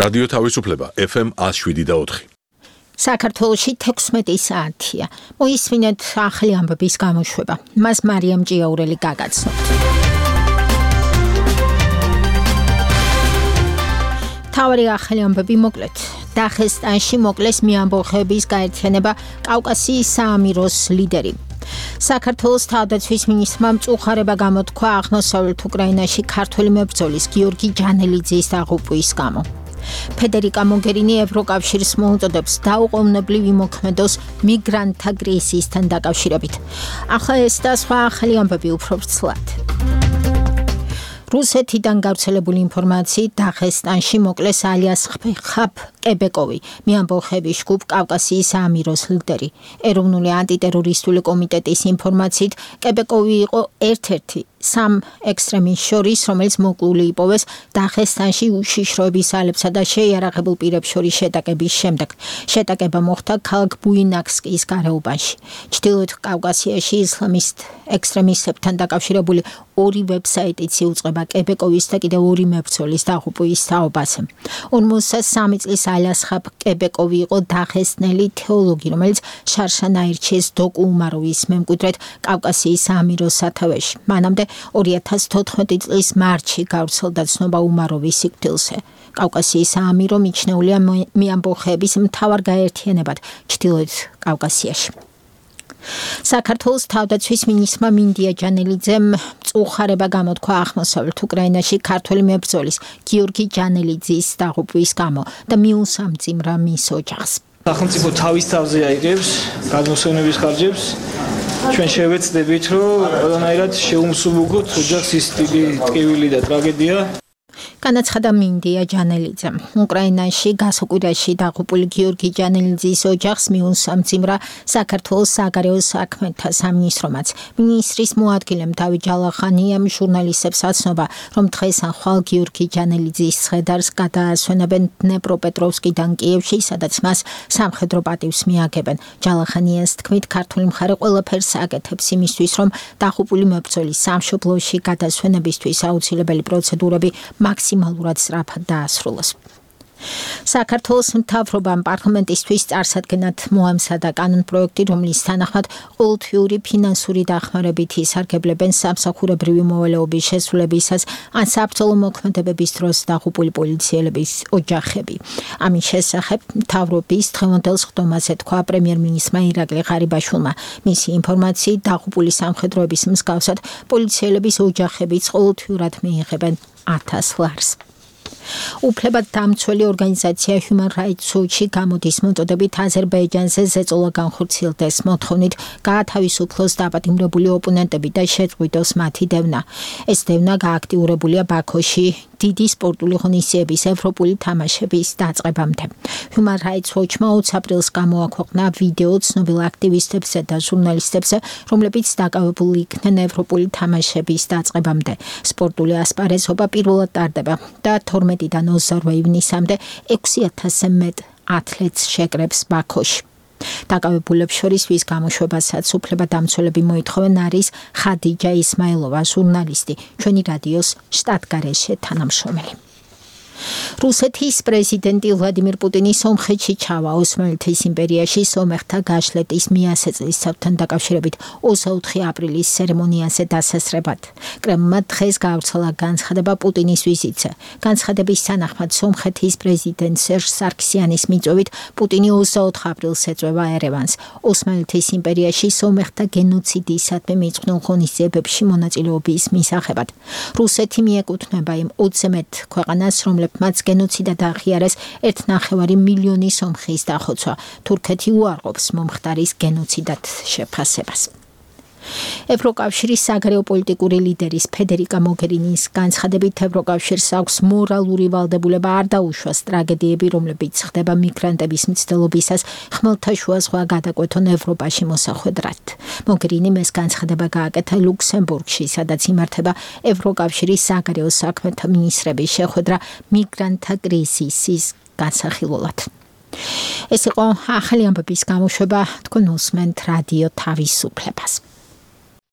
რადიო თავისუფლება FM 107.4. საქართველოში 16 საათია. მოისმინეთ ახალი ამბების გამოშვება. მას მარიამ ჭიაურელი გაგაცნობთ. თავარი ახალი ამბები მოკლედ. დაღესტანში მოკლეს მეამბოხეების გაერთიანება კავკასიის საამიროს ლიდერი. საქართველოს თავდაცვის მინისტრმა მწუხარება გამოთქვა აღმოსავლეთ უკრაინაში ქართველი მებრძოლის გიორგი ჯანელიძის დაღუპვის გამო. ფედერიკა მოგერინი ევროკავშირს მოუწოდებს დაუყოვნებლივ იმოქმედოს მიგრანტთა კრიზისთან დაკავშირებით. ახლა ეს და სხვა ახალი ამბები უფრო ვრცლად. რუსეთიდან გავრცელებული ინფორმაციით დაღესტანში მოკლეს ალიას ხაბ კებეკოვი, მეამბოხეების ჯგუფ კავკასიის საამიროს ლიდერი. ეროვნული ანტიტერორისტული კომიტეტის ინფორმაციით კებეკოვი იყო ერთ-ერთი სამ ექსტრემისტს შორის, რომელიც მოკლული იპოვეს დაღესტანში უშიშროების ალებსა და შეიარაღებულ პირებს შორის შეტაკების შემდეგ. შეტაკება მოხდა ქალაქ ბუინაკსკის გარეუბანში. ჩრდილოეთ კავკასიაში ისლამისტ ექსტრემისტებთან დაკავშირებული ორი ვებსაიტიც იუწყება კებეკოვის და კიდევ ორი მებრძოლის დაღუპვის თაობაზე. 53 წლის ალიასხაბ კებეკოვი იყო დაღესტნელი თეოლოგი, რომელიც შარშან აირჩიეს დოკუ უმაროვის მემკვიდრედ კავკასიის საამიროს სათავეში. მანამდე 2014 წლის მარტში გავრცელდა ცნობა უმაროვის სიკვდილზე. კავკასიის საამირო მიჩნეულია მეამბოხეების მთავარ გაერთიანებად ჩრდილოეთ კავკასიაში. საქართველოს თავდაცვის მინისტრმა მინდია ჯანელიძემ მწუხარება გამოთქვა აღმოსავლეთ უკრაინაში ქართველი მებრძოლის გიორგი ჯანელიძის დაღუპვის გამო და მიუსამძიმრა მის ოჯახს. სახელმწიფო თავის თავზე აიღებს გადმოსავნების ხარჯებს. ჩვენ შევეცდებით, რომ ყველანაირად შეუმსუბუქოთ ოჯახს ის დიდი ტკივილი და ტრაგედია. განაცხადა მინდია ჯანელიძემ. უკრაინაში გასაკვირაში დაღუპული გიორგი ჯანელიძის ოჯახს მიუსამძიმრა საქართველოს საგარეო საქმეთა სამინისტრომაც. მინისტრის მოადგილემ დავით ჯალახანიამ ჟურნალისტებს აცნობა, რომ დღეს ან ხვალ გიორგი ჯანელიძის ცხედარს გადაასვენებენ დნეპროპეტროვსკიდან კიევში, სადაც მას სამხედრო პატივს მიაგებენ. ჯალახანიას თქმით, ქართული მხარე ყველაფერს აკეთებს იმისთვის, რომ დაღუპული მებრძოლის სამშობლოში გადასვენებისთვის აუცილებელი პროცედურები მაქსიმალურად სწრაფად დაასრულოს. საქართველოს მთავრობამ პარლამენტისთვის წარსადგენად მოამზადა კანონპროექტი, რომლის თანახმად ყოველთვიური ფინანსური დახმარებით ისარგებლებენ სამსახურებრივი მოვალეობის შესრულებისას ან საბრძოლო მოქმედებების დროს დაღუპული პოლიციელების ოჯახები. ამის შესახებ მთავრობის დღევანდელ სხდომაზე თქვა პრემიერ-მინისტრმა ირაკლი ღარიბაშვილმა. მისი ინფორმაციით დაღუპული სამხედროების მსგავსად პოლიციელების ოჯახებიც ყოველთვიურად მიიღებენ 1000 ლარს. უფლებადამცველი ორგანიზაცია Human Rights Watch-ი გამოდის მოწოდებით აზერბაიჯანზე ზეწოლა განხორციელდეს მოთხოვნით გაათავისუფლოს დაპატიმრებული ოპონენტები და შეწყვიტოს მათი დევნა. ეს დევნა გააქტიურებულია ბაქოში დიდი სპორტული ღონისძიების ევროპული თამაშების დაწყებამდე. Human Rights Watch-მა 20 აპრილს გამოაქვეყნა ვიდეო ცნობილ აქტივისტებზე და ჟურნალისტებზე, რომლებიც დაკავებული იქნენ ევროპული თამაშების დაწყებამდე. სპორტული ასპარეზობა პირველად ტარდება და 12-დან 28 ივნისამდე 6000-ზე მეტ ათლეტს შეკრებს ბაქოში. დაკავებულებს შორის ვის გამოშვებასაც უფლებადამცველები მოითხოვენ არის ხადიჯა ისმაილოვა, ჟურნალისტი, ჩვენი რადიოს შტატგარეშე თანამშრომელი. რუსეთის პრეზიდენტი ვლადიმირ პუტინი სომხეთში ჩავა ოსმალეთის იმპერიაში სომეხთა გაშლეტის მიასე წლისთავთან დაკავშირებით 24 აპრილის ცერემონიაზე დასასრებად. კრემლმა დღეს გავრცელა განცხადება პუტინის ვიზიტზე. განცხადების თანახმად სომხეთის პრეზიდენტ სერჟ სარქსიანის მიწვევით პუტინი 24 აპრილს ეწვევა ერევანს. ოსმალეთის იმპერიაში სომეხთა გენოციდისადმი მიწყვნილ ღონისძიებებში მონაწილეობის მისაღებად. რუსეთი მიეკუთვნება იმ 20 მეტ ქვეყანას, რომლებიც მათ გენოციდად აღიარეს 1,5 მილიონი სომხის დახოცვა. თურქეთი უარყოფს მომხდარის გენოციდად შეფასებას. ევროკავშირის საგარეო პოლიტიკური ლიდერის ფედერიკა მოგერინის განცხადებით ევროკავშირს აქვს მორალური ვალდებულება არ დაუშვას ტრაგედიები, რომლებიც ხდება მიგრანტების მცდელობისას ხმელთაშუა ზღვა გადაკვეთონ ევროპაში მოსახვედრად. მოგერინიმ ეს განცხადება გააკეთა ლუქსემბურგში, სადაც იმართება ევროკავშირის საგარეო საქმეთა მინისტრების შეხვედრა მიგრანტთა კრიზისის განსახილველად. ეს იყო ახალი ამბების გამოშვება, თქვენ უსმენთ რადიო თავისუფლებას.